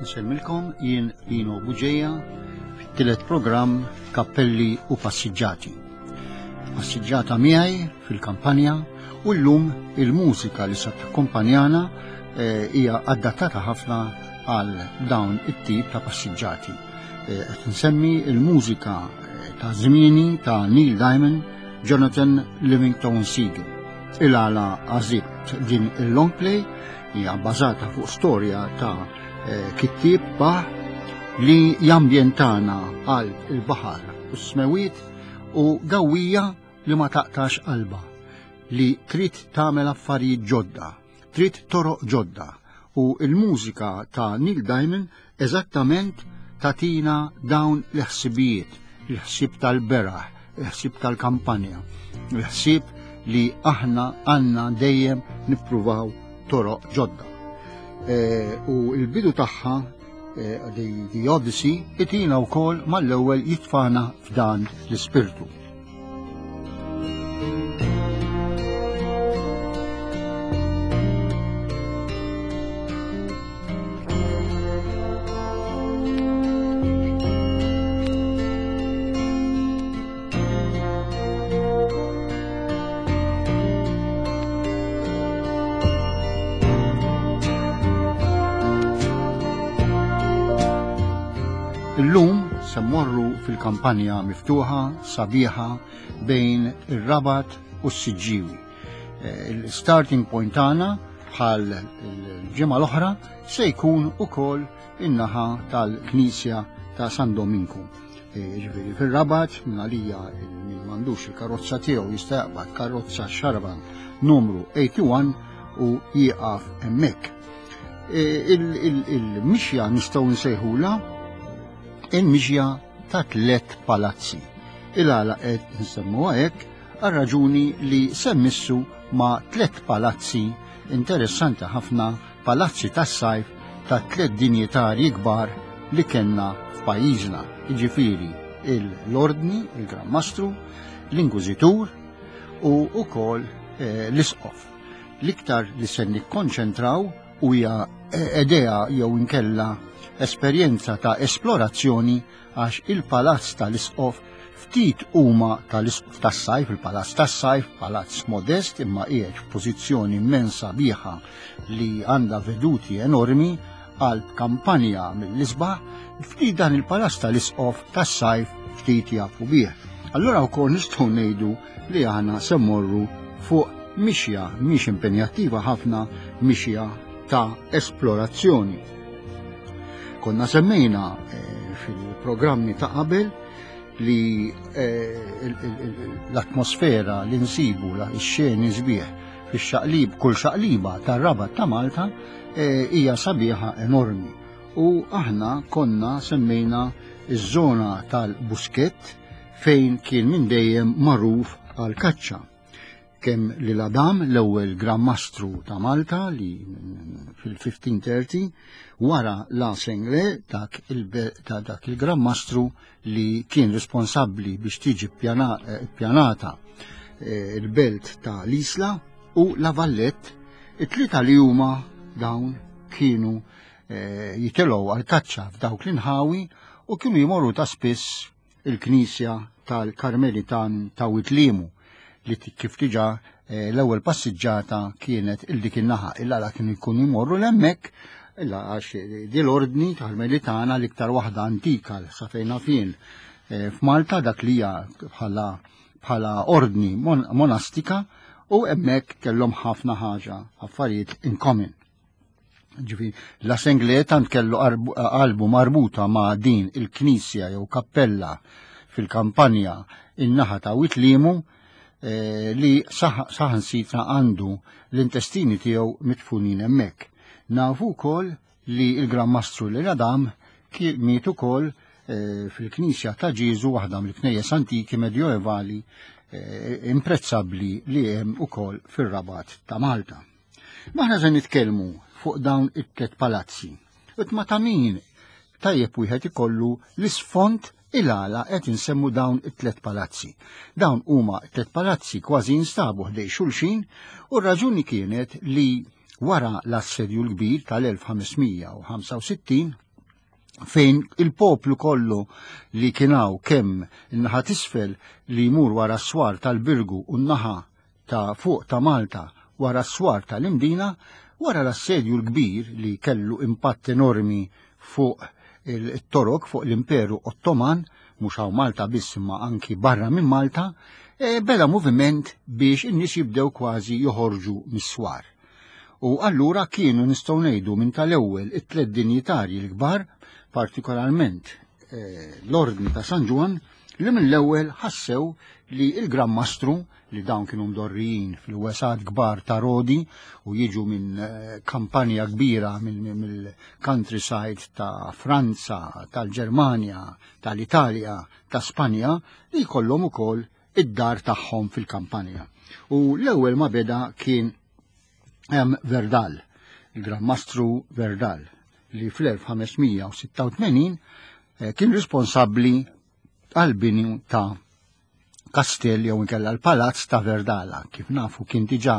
Nsellmilkom jien Lino Buġeja fit-tielet programm Kappelli u Passiġġati. Passiġġata miegħi fil-kampanja u llum il-mużika li se takkumpanjana eh, hija adattata ħafna għal dawn it-tip ta' passiġġati. Eh, qed nsemmi il-mużika eh, ta' żmieni ta' Neil Diamond, Jonathan Livingstone Seagull. Il-għala għażilt din il-long play hija bbażata fuq storja ta' eh, kittieb baħ li jambjentana għal il-baħar u s-smewiet u gawija li ma taqtax qalba li trid tagħmel affarijiet ġodda, trid toroq ġodda u il-mużika ta' Neil Diamond eżattament tatina dawn l-ħsibijiet, il-ħsieb tal-beraħ, il-ħsieb tal-kampanja, il-ħsieb li aħna għanna dejjem nippruvaw toroq ġodda. E, u l-bidu tagħha e, The Odyssey itina wkoll mal-ewwel jitfana f'dan l-ispirtu. Illum se mmorru fil-kampanja miftuħa sabiħa bejn ir-Rabat u s-Siġġiewi. Eh, il-starting point tagħna bħal il-ġimgħa l-oħra se jkun ukoll in-naħa tal-Knisja ta' San Dominku. Eh, ġifieri fir-Rabat minn għalija min m'għandux il-karozza tiegħu jista' jaqbad karozza xaraban numru 81 u jieqaf hemmhekk. Eh, il-mixja nistgħu nsejħula il-mixja ta' tlet palazzi. Il-għala qed nsemmuha hekk għal raġuni li semmissu ma' tlet palazzi interessanti ħafna, palazzi tas-sajf ta' tlet dinjitarji kbar li kellna f'pajjiżna, jiġifieri l-Ordni, il-Gran Mastru, l-Inkwiżitur u wkoll eh, l-Isqof. L-iktar li se nikkonċentraw u hija eh, idea jew inkella esperjenza ta' esplorazzjoni għax il-palazz tal-Isqof ftit huma tal-Isqof tas-sajf, il-palazz tas-sajf, palazz modest imma qiegħed f'pożizzjoni immensa biħa li għandha veduti enormi għal kampanja mill-isbaħ, ftit dan il-palazz tal-Isqof tas-sajf ftit jafu bih. Allura wkoll nistgħu ngħidu li aħna se mmorru fuq mixja mhix impenjattiva ħafna, mixja ta' esplorazzjoni. Konna semmejna eh, fil-programmi ta' qabel li eh, l-atmosfera li nsibu x-xeni sbieħ fix-xaqlib kull xaqliba tar-rabat ta' Malta eh, hija sabiħa enormi. U aħna konna semmejna iż-żona tal-Buskett fejn kien minn dejjem magħruf għal kaċċa. Kemm lil Adam l-ewwel Gran Mastru ta' Malta li fil-1530 wara La Sengle dak ta' dak il-Gran Mastru li kien responsabbli biex tiġi ppjanata eh, il-belt ta' l-Isla u La Vallette, it-tlieta li huma dawn kienu eh, jitilgħu għal kaċċa f'dawk l-inħawi u kienu jmorru ta' spiss il-knisja tal-Karmelitan ta' Witlimu li kif diġà eh, l-ewwel passiġġata kienet il dik in-naħa illa kienu jkunu jmorru l-hemmhekk illa għax di l-ordni Karmelitana l-iktar waħda antika sa fejn fien eh, f'Malta dak li hija bħala bħala ordni monastika u hemmhekk kellhom ħafna ħaġa affarijiet in common. Ġifi, la Sengle tant kellu qalbu marbuta ma' din il-knisja jew kappella fil-kampanja in-naħa ta' Witlimu eh, li saħansitra għandu l-intestini tiegħu mitfunin hemmhekk. Nafu wkoll li l-Gran Mastru l Adam miet ukoll eh, fil-Knisja ta' Ġieżu waħda mill-knejjes antiki medjoevali eh, imprezzabbli li hemm ukoll fir-Rabat ta' Malta. Maħna se nitkellmu fuq dawn it-tlet palazzi. Ut ma ta' min tajjeb wieħed ikollu l-isfond il-għala qed insemmu dawn it-tlet palazzi. Dawn huma tlet palazzi kważi jinstabu ħdej xulxin u r-raġuni kienet li wara l-assedju l-kbir tal-1565. fejn il-poplu kollu li kienaw kemm in-naħa t'isfel li jmur wara s-swar tal-Birgu u n-naħa ta' fuq ta' Malta wara s-swar tal-Imdina, wara l-assedju l-kbir li kellu impatt enormi fuq il-Torok, fuq l-Imperu Ottoman, mhux hawn Malta biss imma anki barra minn Malta, e, beda moviment biex in-nies jibdew kważi joħorġu mis-swar. U allura kienu nistgħu ngħidu minn tal-ewwel it-tliet dinjitarji l-kbar, partikolarment eh, l-Ordni ta' San Ġwann, li mill-ewwel ħassew li l-Gran Mastru li dawn kienu mdorrijin fil-wesat kbar ta' Rodi u jiġu minn eh, kampanja kbira mill-countryside ta' Franza, tal-Ġermanja, tal-Italja, ta' Spanja, li jkollhom ukoll id-dar tagħhom fil-kampanja. U l-ewwel ma beda kien hemm Verdal, il-Gran Mastru Verdal, li fl-1586 eh, kien responsabbli għal-bini ta' kastell jew inkella l-palazz ta' Verdala. Kif nafu kien diġà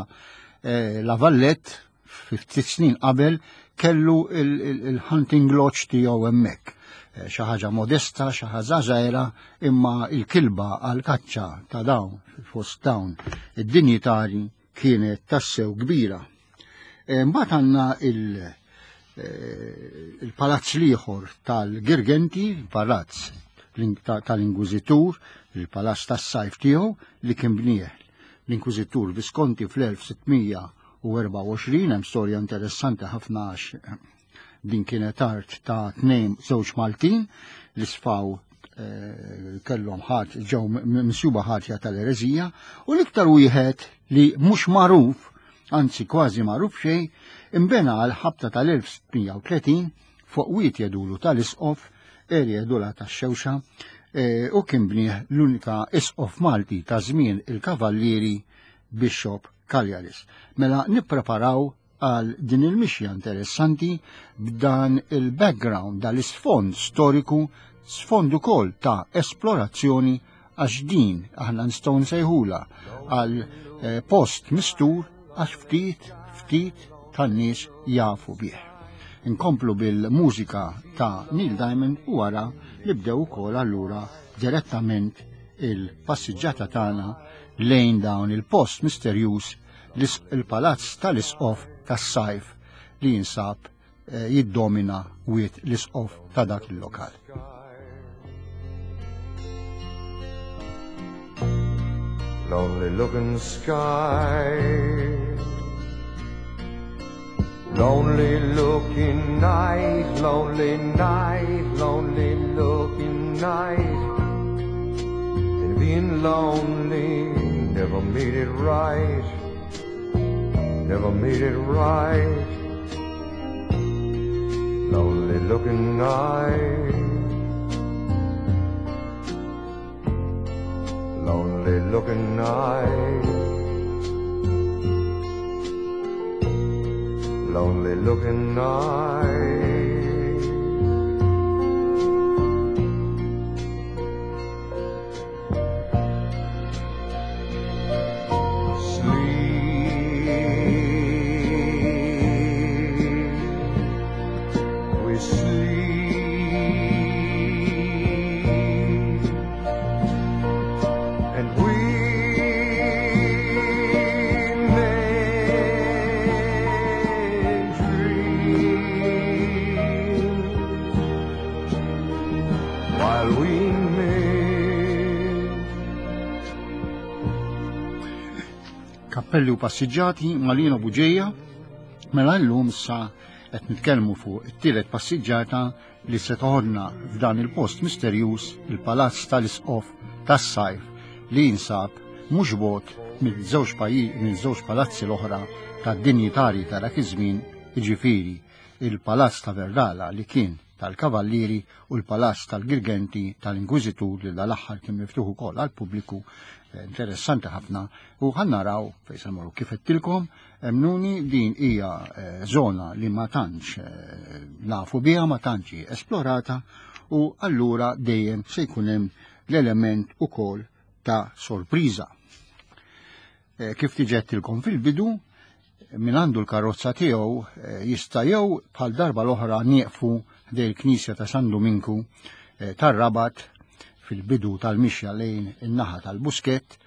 eh, la Vallette ftit snin qabel kellu il-hunting lodge tiegħu hemmhekk. Eh, xi ħaġa modesta, xi ħaġa żgħira, imma il-kilba għal kaċċa ta' dawn fost dawn id-dinjitari kienet tassew kbira. Eh, mbagħad għandna eh, il-palazz liħor tal-Girgenti, il-palazz tal-Inkwiżitur, il-palazz tas-sajf tiegħu li kien bnieh l-Inkwiżitur Visconti fl-1624, hemm storja interessanti ħafna għax din kienet art ta' tnejn żewġ Maltin li sfaw eh, kellhom ħadd ġew misjuba ħatja tal-ereżija u l-iktar wieħed li mhux magħruf, anzi kważi magħruf xejn, imbena għal ħabta tal-1630 fuq wiet jedulu tal-isqof, erja jedula tax-xewxa, eh, u kien bnieh l-unika isqof Malti ta' żmien il-Kavallieri Bishop Cagliaris. Mela nippreparaw għal din il-mixja interessanti b'dan il-background, dal-isfond storiku, sfond ukoll ta' esplorazzjoni għax din aħna nistgħu nsejħula għal eh, post mistur għax ftit ftit tan-nies jafu bih. Inkomplu bil-mużika ta' Neil Diamond u wara nibdew ukoll allura direttament il-passiġġata tagħna lejn dawn il-post misterjuż il-palazz tal-isqof tas-sajf li jinsab eh, jiddomina wiet l-isqof ta' dak il-lokal. Lonely looking sky Lonely looking night, lonely night, lonely looking night And being lonely never made it right Never made it right Lonely looking night Lonely looking night Lonely looking night Kappelli u passiġġati Malino Buġeja, mela llum sa qed nitkellmu fuq it-tielet passiġġata li se toħodna f'dan il-post misterjuż il-Palazz tal-Isqof tas-Sajf li jinsab mhux bogħod mill-żewġ mill-żewġ palazzi l-oħra tad-dinjitarji ta' dak iż-żmien, jiġifieri il-Palazz ta' Verdala li kien tal-Kavallieri u l-Palazz tal-Girgenti tal-Inkwiżitur li dal-aħħar kien miftuħ ukoll għall-pubbliku eh, interessanti ħafna u ħa naraw fejn se mmorru kif għedtilkom Emmnuni din hija eh, zona li ma tantx eh, nafu biha, ma tantx hi esplorata u allura dejjem se jkun hemm l-element ukoll ta' sorpriża. Eh, kif tiġettilkom fil-bidu, Min għandu l-karozza tiegħu eh, jista' jew bħal darba l-oħra nieqfu ħdej il-Knisja ta' San Duminku eh, tar-Rabat fil-bidu tal-mixja lejn in-naħa tal-Buskett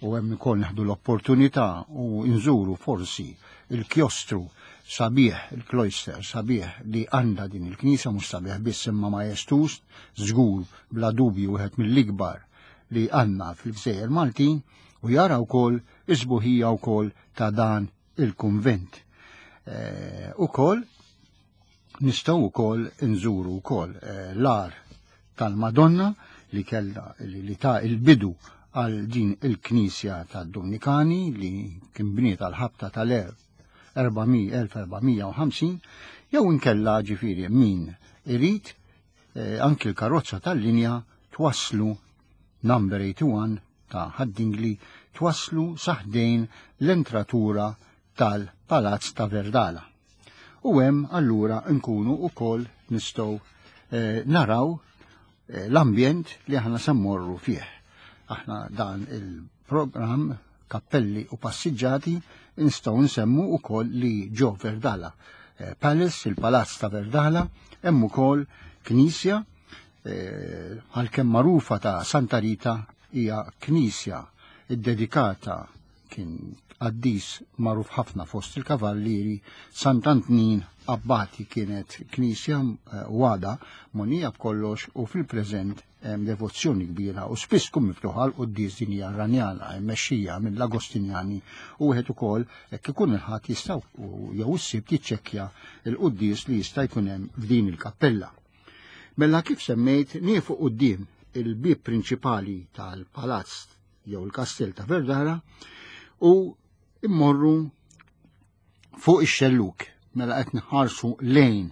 u hemm ukoll neħdu l-opportunità u nżuru forsi il-kjostru sabiħ, il-cloister sabiħ li għandha din il-knisja mhux sabiħ biss imma majestuż, żgur bla dubju wieħed mill-ikbar li għandna fil-Gżejjer Maltin u jara wkoll is-sbuħija wkoll ta' dan il-kunvent. Eh, ukoll nistgħu wkoll nżuru wkoll eh, l-ar tal-Madonna li kella li ta' il-bidu għal din il-knisja tad-Dominikani li kien bniet għal ħabta tal-1450 jew inkella ġifieri min irid eh, anki l-karozza tal-linja twasslu number 81 ta' Ħad-Dingli twasslu sa ħdejn l-entratura tal-Palazz ta' Verdala. U hemm allura nkunu wkoll nistgħu eh, naraw eh, l-ambjent li aħna se mmorru fih. Aħna dan il-programm kappelli u passiġġati nistgħu nsemmu wkoll li ġo Verdala eh, Palace, il-Palazz ta' Verdala, hemm ukoll knisja għalkemm magħrufa ta' Santa Rita hija knisja ddedikata kien qaddis magħruf ħafna fost il-kavallieri Sant'Antnin Abbati kienet knisja eh, wada monija b'kollox u fil-preżent hemm devozzjoni kbira u spiss tkun miftuħa l quddies din hija Ranjana mmexxija mill-Agostinjani u wieħed ukoll hekk ikun il-ħadd jista' jew is-Sibt jiċċekkja l-quddies li jista' jkun hemm f'din il-kappella. Mela kif semmejt niefu quddiem il-bieb prinċipali tal-palazz jew il-kastell ta' Verdara u immorru fuq ix-xelluk mela qed nħarsu lejn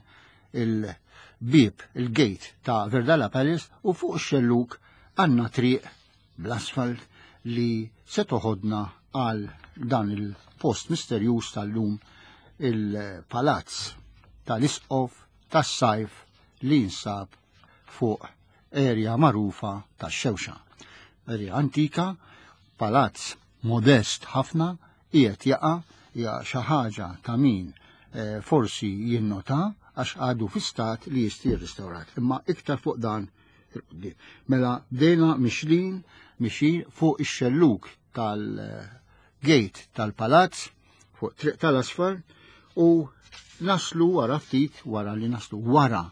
il-bieb il-gate ta' Verdala Palace u fuq ix-xelluk għandna triq bl-asfalt li se toħodna għal dan il-post misterjuż tal-lum il-palazz tal-isqof tas-sajf li jinsab fuq erja magħrufa tax-Xewxa. Erja antika, palazz modest ħafna, qiegħed jaqa' hija xi ħaġa ta' min eh, forsi jinnota għax għadu fi stat li jista' jirrestawrat. Imma iktar fuq dan il-qudiem. Mela bdejna mixlin mixin fuq ix-xelluk tal-gate tal-palazz fuq triq tal-asfar u naslu wara ftit wara li naslu wara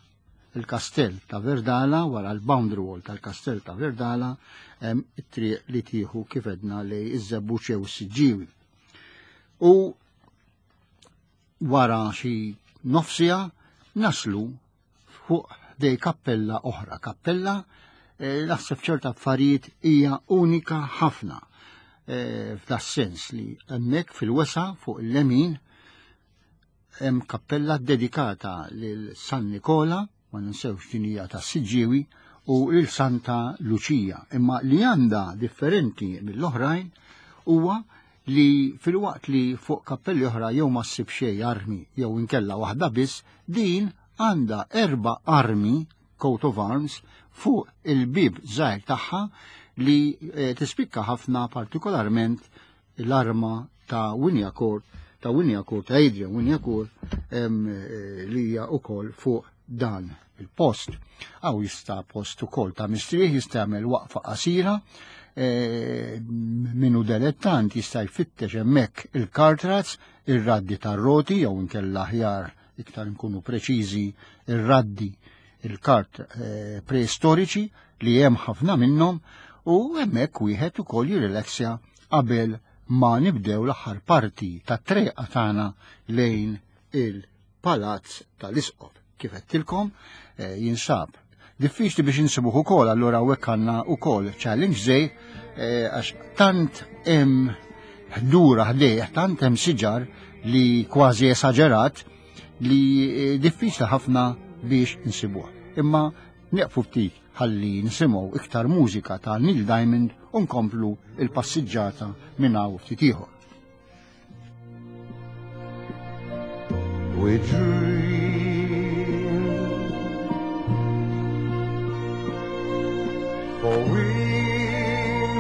il-kastell ta' Verdala, wara l-boundary wall tal-kastell ta' Verdala, hemm it-triq li tieħu kif edna lej iż-żebbuġ jew is-siġġiewi. U wara xi nofsija naslu fuq dej kappella oħra. Kappella eh, naħseb ċerta affarijiet hija unika ħafna eh, f'da sens li hemmhekk fil-wesa fuq il-lemin hemm kappella dedikata lil San Nikola, ma ninsewx din hija ta' Siġġiewi, u lil Santa Luċija. Imma li għandha differenti mill-oħrajn huwa li filwaqt li fuq kappelli oħra jew ma ssib xejn armi jew inkella waħda biss, din għandha erba' armi coat of arms fuq il-bib żgħir tagħha li eh, tispikka ħafna partikolarment l-arma ta' Wignacourt ta' Wignacourt ta' Adrian Wignacourt eh, li hija wkoll fuq dan il-post. Għaw jista' post ukoll ta' mistrieħ jista' jagħmel waqfa qasira e, minu delettant jista' jfittex hemmhekk il-kartrats, ir-raddi tar-roti jew inkella aħjar iktar nkunu preċiżi ir-raddi il-kart e, preistoriċi li hemm ħafna minnhom u hemmhekk wieħed ukoll jirrilaxja qabel ma nibdew l-aħħar parti tat-treqa tagħna lejn il- Palazz tal-Isqof. Kif għedtilkom, eh, jinsab diffiċli biex insibuh ukoll, allura hawnhekk għandna ukoll challenge żej eh, għax tant hemm ħdura ħdejh, tant hemm siġar li kważi esaġerat li eh, diffiċli ħafna biex insibuh. Imma nieqfu ftit ħalli nisimgħu iktar mużika ta' Neil Diamond u nkomplu il-passiġġata minn hawn ftit ieħor. We dream For we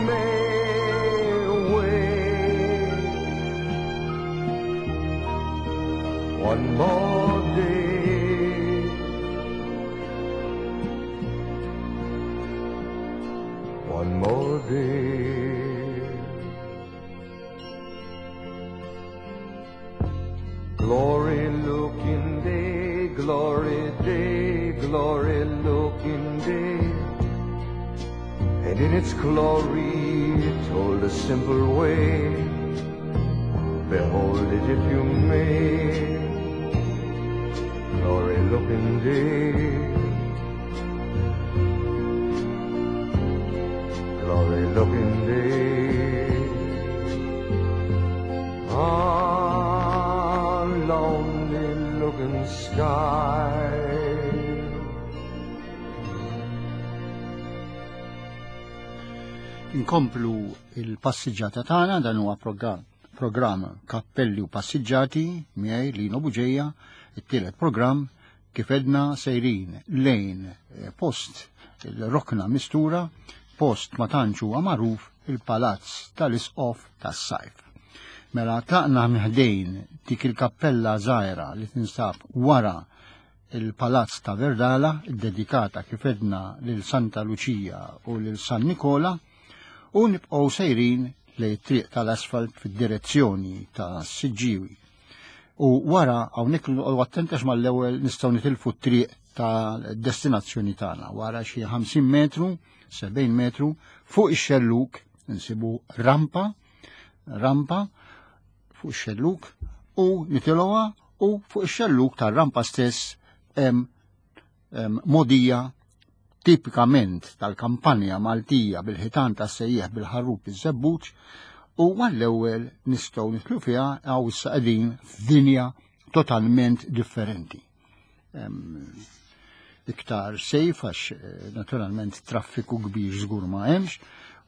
may wait. glory looking day. And in its glory it told a simple way. Behold it if you may. Glory looking day. Glory looking day. Ah, lonely looking sky. Inkomplu il-passiġġata tagħna dan huwa programm programm Kappelli u Passiġġati miegħi Lino Buġeja, it-tielet programm kif edna sejrin lejn eh, post il-rokna mistura, post ma tantx huwa magħruf il-Palazz tal-Isqof tas-Sajf. Mela tlaqna mħdejn dik il-kappella żgħira li tinsab wara il-Palazz ta' Verdala, dedikata kif edna lil Santa Luċija u lil San Nikola, u nibqgħu sejrin lejn triq tal-asfalt fid-direzzjoni ta' Siġġiwi. U wara hawnhekk noqogħdu attenti għax mal-ewwel nistgħu nitilfu t-triq ta' destinazzjoni tagħna. Wara xi 50 metru, 70 metru, fuq ix-xelluk insibu rampa, rampa fuq ix-xelluk u nitilgħuha u fuq ix-xelluk tar-rampa stess hemm modija tipikament tal-kampanja Maltija bil-ħitan ta' sejjeħ bil-ħarrub iż-żebbuġ u mal-ewwel nistgħu nidħlu fiha għaw issa qegħdin f'dinja totalment differenti. Iktar sejf għax eh, naturalment traffiku kbir żgur ma hemmx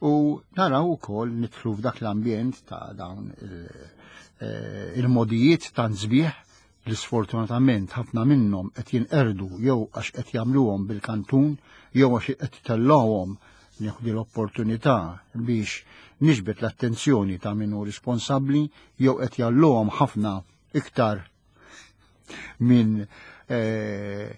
u naraw ukoll nidħlu f'dak l-ambjent ta' dawn eh, il-modijiet ta' nżbieħ li sfortunatament ħafna minnhom qed jinqerdu jew għax qed jagħmluhom bil-kantun jew għax qed itellgħuhom nieħdu l-opportunità biex niġbed l-attenzjoni ta' min hu responsabbli jew qed jgħalluhom ħafna iktar minn eh,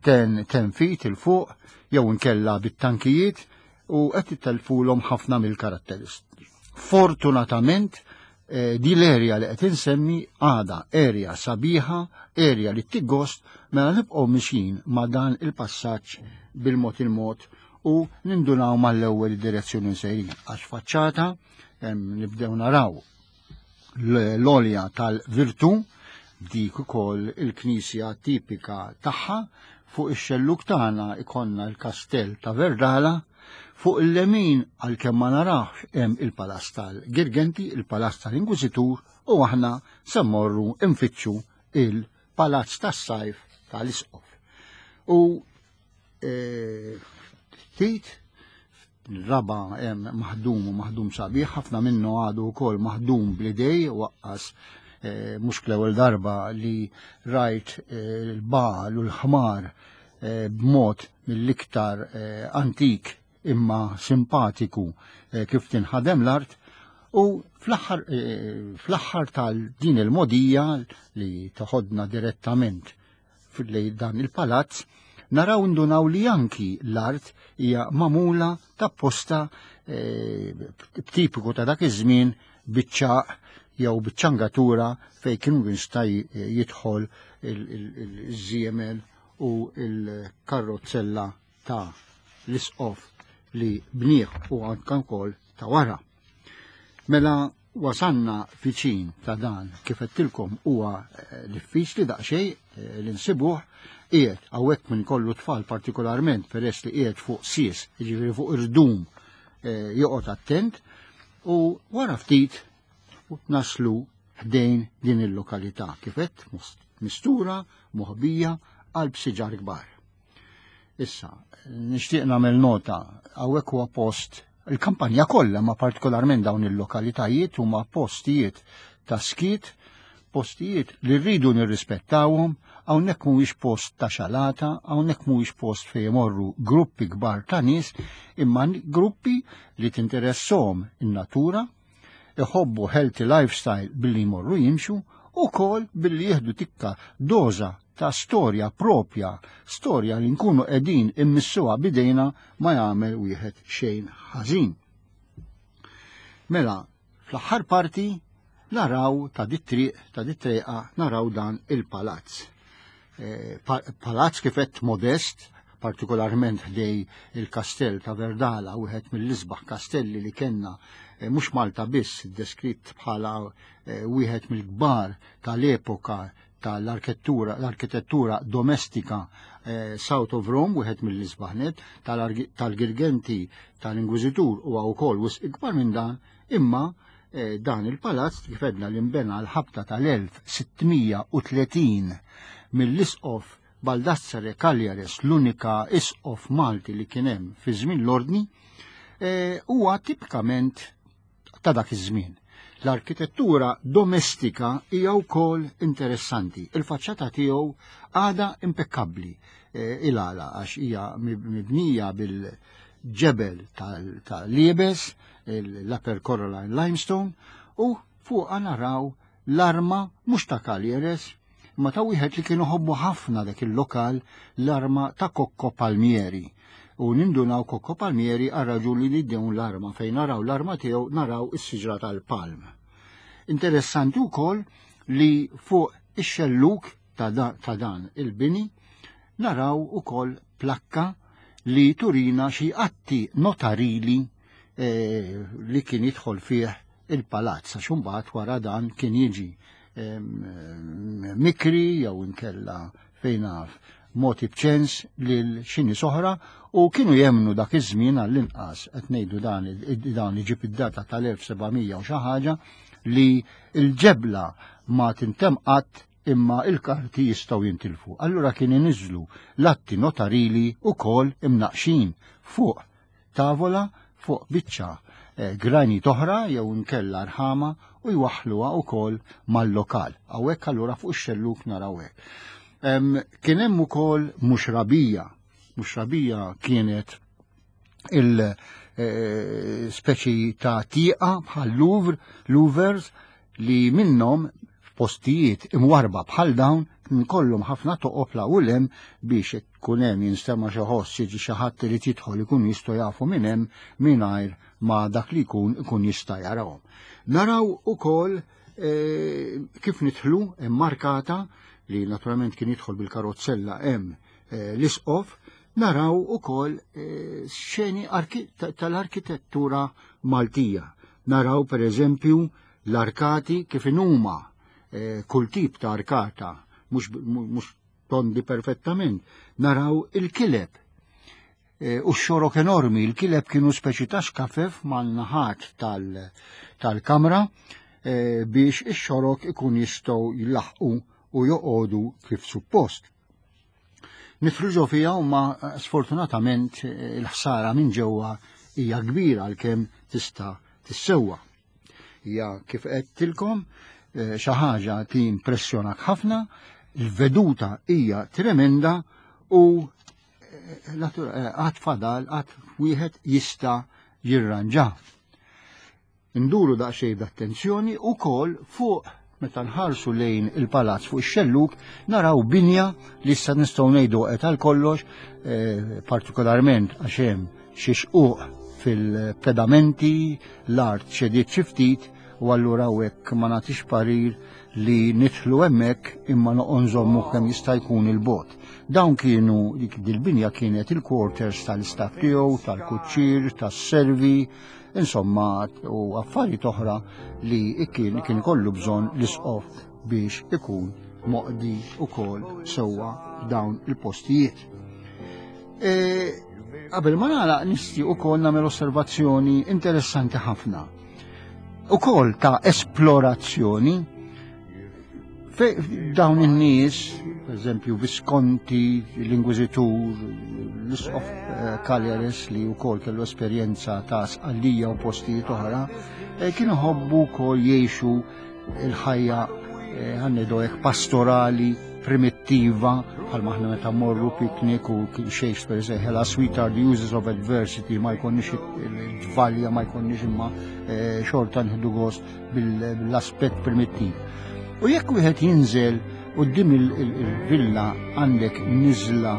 ten, ten feet il fuq jew inkella bit-tankijiet u qed itellfulhom ħafna mill-karatteristiċi. Fortunatament eh, di l-erja li qed insemmi għada erja sabiħa, erja li tiggost, mela nibqgħu mixin ma' dan il-passaġġ bil-mod il-mod u nindunaw mal-ewwel id-direzzjoni sejrin għax faċċata nibdew naraw l-olja tal-virtu dik ukoll il-knisja tipika tagħha fuq ix-xelluk tagħna ikonna l-kastell ta' Verdala fuq il-lemin għalkemm ma narax hemm il-palazz tal-Girgenti, il-palazz tal-Inkwiżitur u aħna se mmorru nfittxu il-palazz tas-sajf tal-Isqof. U e, ftit raba hemm maħdum u maħdum sabiħ, ħafna minnu għadu wkoll maħdum bl-idej waqqas eh, mhux l-ewwel darba li rajt eh, l-bagħal u l-ħmar eh, b'mod mill-iktar antik imma simpatiku kif tinħadem l-art u fl-aħħar tal-din il-modija li toħodna direttament lejn dan il-palazz, naraw ndunaw li anki l-art hija mamula ta' posta eh, tipiku ta' dak iż-żmien biċċaq jew biċ-ċangatura fejn kienu jista' jidħol il-żiemel u il-karrozzella ta' l-isqof li bnieh u anke wkoll ta' wara. Mela wasanna viċin ta' dan kif għedtilkom huwa eh, diffiċli daqsxejn eh, li nsibuh qiegħed hawnhekk minn kollu tfal partikolarment peress li qiegħed fuq sies, jiġifieri fuq irdum eh, joqgħod attent u wara ftit naslu ħdejn din il-lokalità kif qed mistura moħbija qalb siġar kbar. Issa, nixtieq nagħmel nota hawnhekk huwa post il-kampanja kollha ma partikolarment dawn il-lokalitajiet huma postijiet ta' skiet, postijiet li rridu nirrispettawhom, hawnhekk mhuwiex post ta' xalata, hawnhekk mhuwiex post fejn imorru gruppi kbar ta' nies, imma gruppi li tinteresshom in-natura, iħobbu healthy lifestyle billi jmorru jimxu u kol billi jieħdu tikka doza ta' storja propja, storja li nkunu qegħdin immissuha bidejna ma jagħmel wieħed xejn ħażin. Mela, fl-aħħar parti naraw ta' dit-triq, ta' dit-triqa naraw dan il-palazz. Eh, palazz kif qed modest, partikolarment ħdej il-kastell ta' Verdala, wieħed mill-isbaħ kastelli li kellna eh, mhux Malta biss deskritt bħala eh, wieħed mill-kbar tal-epoka tal-arkitettura l-arkitettura domestika South of Rome, wieħed mill-isbaħ net, tal-Girgenti tal-Inkwiżitur huwa wkoll wisq ikbar minn dan, imma Eh, dan il-palazz kif għedna li nbena l-ħabta tal-1630 mill-isqof Baldassare Cagliares, l-unika isqof Malti li kien hemm fi żmien l-Ordni, eh, huwa tipikament ta' dak iż-żmien. L-arkitettura domestika hija wkoll interessanti. Il-faċċata tiegħu għadha impekkabbli eh, il-għala għax hija mibnija bil-ġebel tal-liebes, l-Upper Coraline Limestone, u fuqha naraw l-arma mhux ta' Caglieres, imma ta' wieħed li kienu ħobbu ħafna dak il-lokal l-arma ta' Cocco Palmieri. U nindunaw Cocco Palmieri għal raġuni li dewn l-arma fejn naraw l-arma tiegħu naraw is-siġra tal-palm. Interessanti wkoll li fuq ix-xelluk ta' dan il-bini naraw ukoll plakka li turina xi atti notarili eh, li kien jidħol fih il-palazz għax imbagħad wara dan kien jiġi mikri jew inkella fejn naf moti b'ċens lil xi nies oħra u kienu jemnu dak iż-żmien għall-inqas qed ngħidu dan dan iġib id-data tal-1700 u xi ħaġa li l-ġebla ma tintemm qatt imma il-karti jistgħu jintilfu. Allura kien iniżlu l-atti notarili wkoll imnaqxin fuq tavola fuq biċċa eh, granit oħra jew inkella rħama u jwaħħluha wkoll mal-lokal. Hawnhekk allura fuq ix-xelluk naraw hekk. Kien hemm ukoll muxrabija. Muxrabija kienet il eh, speċi ta' tieqa bħal Louvre, Louvers li minnhom f'postijiet imwarba bħal dawn kien kollhom ħafna toqob la u lem biex ikun hemm jinstema' xi ħoss jiġi xi ħadd irid jidħol ikun jistgħu jafu minn hemm mingħajr ma dak li jkun ikun jista' jarahom. Naraw ukoll eh, kif nidħlu immarkata li naturalment kien jidħol bil-karozzella hemm eh, l-isqof, naraw ukoll eh, xeni tal-arkitettura Maltija. Naraw per eżempju l-arkati kif inhuma eh, kull tip ta' arkata mhux tondi perfettament. Naraw il-kileb eh, u x-xorok enormi, il-kileb kienu speċi ta' xkafef mal-naħat tal-kamra eh, biex ix-xorok ikun jistgħu jilaħqu u joqogħdu kif suppost. Nidħlu ġo fiha u ma sfortunatament il-ħsara minn ġewwa hija kbira għalkemm tista' tissewwa. Hija kif qedtilkom eh, xi ħaġa timpressjonak ħafna, il-veduta hija tremenda u eh, eh, għad fadal għad wieħed jista' jirranġa. Nduru daqsxejn b'attenzjoni ukoll fuq meta nħarsu lejn il-palazz fuq ix-xellug naraw binja li issa nistgħu ngħidu qed għal kollox, eh, partikolarment għax hemm xi xquq fil-pedamenti, l-art ċediet xi ftit u allura hekk ma nagħtix parir li nidħlu hemmhekk imma noqgħod nżommu kemm jista' jkun il-bot. Dawn kienu dik dil-binja kienet il-quarters tal-istaff tiegħu, tal-kuċċir, tas-servi, insomma u affarijiet oħra li kien kien ikollu bżonn l-isqof biex ikun moqdi ukoll sewwa dawn il-postijiet. E, qabel ma nagħlaq nixtieq ukoll nagħmel osservazzjoni interessanti ħafna. Ukoll ta' esplorazzjoni dawn in-nies, per eżempju Visconti, l-Inkwiżitur, l-Isqof eh, Cagliares li wkoll kellu esperjenza ta' Sqallija u postijiet oħra, eh, kienu ħobbu wkoll jgħixu il-ħajja eh, ħannidu hekk pastorali primittiva bħal maħna meta morru piknik u Shakespeare sejħela sweet are the uses of adversity ma jkonniex il-ġvalja ma jkonniex imma xorta nħidu gost bil-aspett primittiv. U jekk wieħed jinżel quddiem il-villa għandek niżla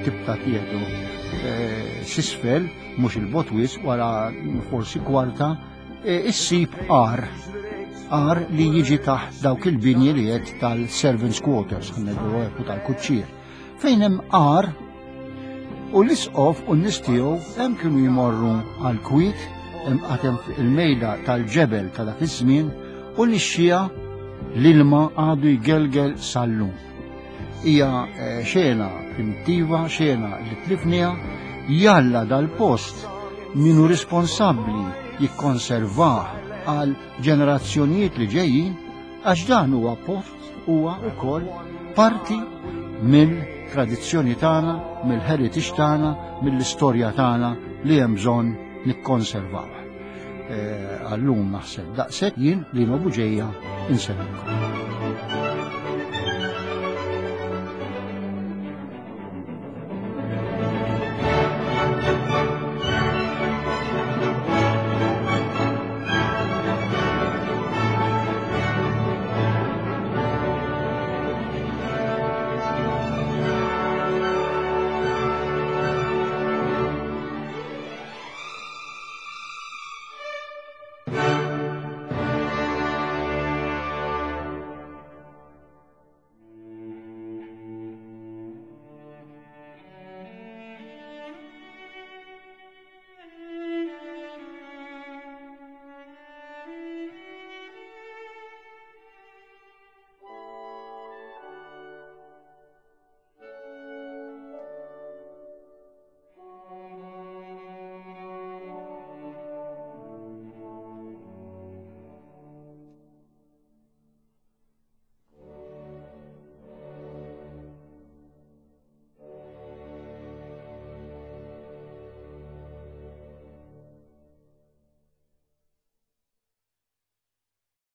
tibta tieħdu eh, sisfel, mhux il-botwis, wara forsi kwarta, eh, issib għar. Għar li jiġi taħt dawk il-binji li qed tal-servants quarters, ħa u tal-kuċċier. Fejn hemm għar u l-isqof u n-nies tiegħu hemm kienu jmorru għal kwiet hemm għad hemm il-mejda tal-ġebel ta' dak iż-żmien u nixxija l-ilma għadu jgelgel sal-lum. Hija eh, xena primittiva, xena li tlifniha, jalla dal-post minu responsabbli jikkonservah għal ġenerazzjonijiet li ġejjin għax dan huwa post huwa wkoll parti mill-tradizzjoni tagħna, mill-heritage tagħna, mill-istorja tagħna li hemm bżonn nikkonservaw. Eh, għallum naħseb daqshekk jien li Buġeja insellmilkom.